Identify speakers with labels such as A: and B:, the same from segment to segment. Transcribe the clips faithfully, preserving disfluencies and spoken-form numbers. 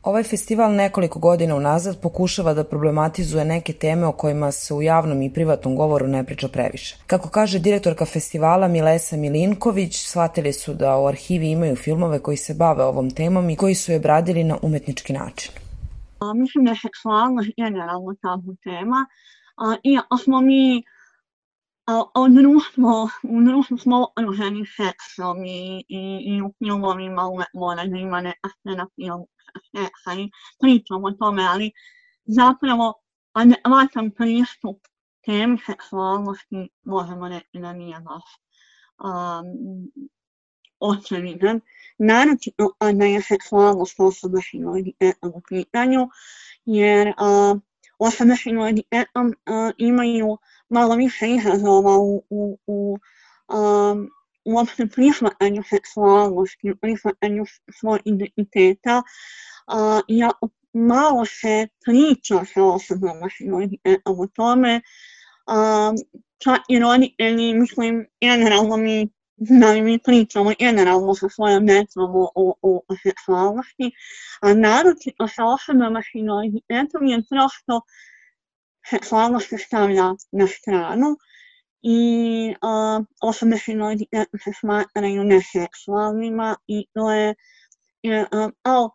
A: Ovaj festival nekoliko godina unazad pokušava da problematizuje neke teme o kojima se u javnom i privatnom govoru ne priča previše. Kako kaže direktorka festivala Milesa Milinković, shvatili su da u arhivi imaju filmove koji se bave ovom temom i koji su je obradili na umetnički način.
B: A, mislim da je seksualnost generalno tabu tema, a, iako smo mi a, u društvu, u društvu smo okruženi seksom i, i, i u filmovima uvek mora da ima neka scena film seksa i pričamo o tome, ali zapravo adekvatan pristup temi seksualnosti možemo reći da nije baš um, očevidan. Naročito da je seksualnost osoba s invaliditetom u pitanju, jer uh, osobe s invaliditetom uh, imaju malo više izazova u, u, u um, uopšte prihvatanju seksualnosti, prihvatanju svojeg identiteta, uh, jako malo se priča sa osobama s invaliditetom o tome, um, čak i roditelji, mislim, generalno mi da mi pričamo generalno sa svojom decom o, o, o seksualnosti, a naročito sa osobama s invaliditetom je prosto seksualnost se stavlja na stranu i uh, osobe s invaliditetom se smatraju neseksualnima i to je, je um, ali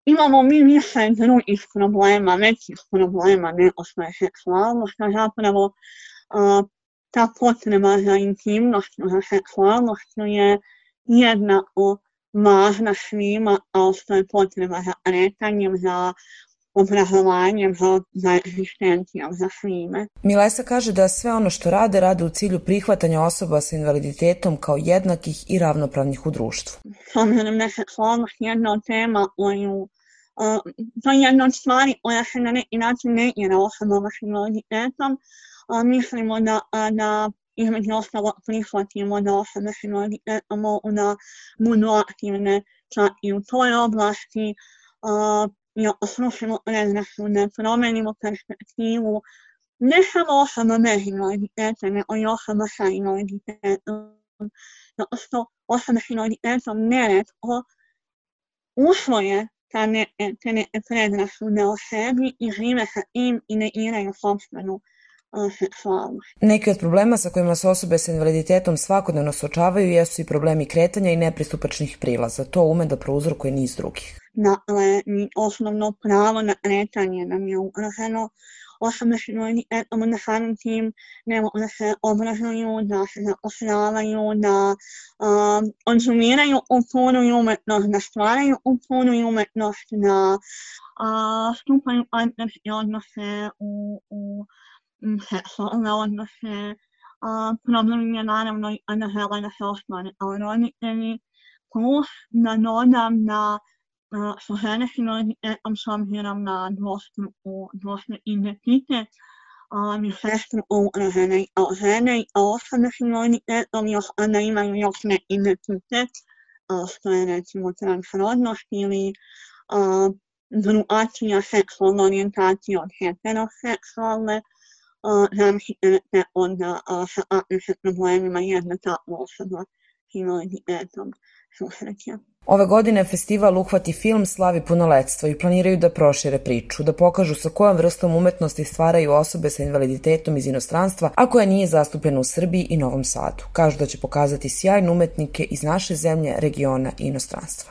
B: imamo mi više drugih problema, većih problema nego što je seksualnost, a zapravo uh, ta potreba za intimnošću, za seksualnošću je jednako važna svima, kao što je potreba za kretanjem, za obrazovanjem, za, za egzistencijom, za svime.
A: Milesa kaže da sve ono što rade, rade u cilju prihvatanja osoba sa invaliditetom kao jednakih i ravnopravnih u društvu.
B: S obzirom da je seksualnost jedna od tema koju, uh, to je jedna od stvari koja se na neki način negira osobama s invaliditetom, A, mislimo da, da između ostalog prihvatimo da osobe s invaliditetom mogu da budu aktivne čak i u toj oblasti, i oslušimo predrasude, promenimo perspektivu ne samo osoba bez invaliditeta, nego i osoba sa invaliditetom. Zato što osobe s invaliditetom neretko usvoje te neke predrasude o sebi i žive sa tim i negiraju sopstvenu seksualnost.
A: Neki od problema sa kojima se osobe sa invaliditetom svakodnevno suočavaju jesu i problemi kretanja i nepristupačnih prilaza. To ume da prouzrokuje niz drugih.
B: Dakle, osnovno pravo na kretanje nam je ugroženo. Osobe s invaliditetom na samim tim ne mogu da se obrazuju, da se zapošljavaju, da um, konzumiraju kulturu i umetnost, da stvaraju kulturu i umetnost, da uh, stupaju partnerske odnose u, u seksualne odnose. Uh, problem je naravno i da žele da se ostvare kao roditelji, plus da dodam da uh, su žene s invaliditetom s obzirom na dvostruku, dvostruki identitet uh, višestruko ugrožene i kao žene i kao osobe s invaliditetom još da imaju još ne identitet, uh, što je recimo transrodnost ili uh, drugačija seksualna orijentacija od heteroseksualne. Zamislite da onda sa takvim problemima jedna takva osoba s invaliditetom susreće.
A: Ove godine festival Uhvati film slavi punoletstvo i planiraju da prošire priču, da pokažu sa kojom vrstom umetnosti stvaraju osobe sa invaliditetom iz inostranstva, a koja nije zastupljena u Srbiji i Novom Sadu. Kažu da će pokazati sjajne umetnike iz naše zemlje, regiona i inostranstva.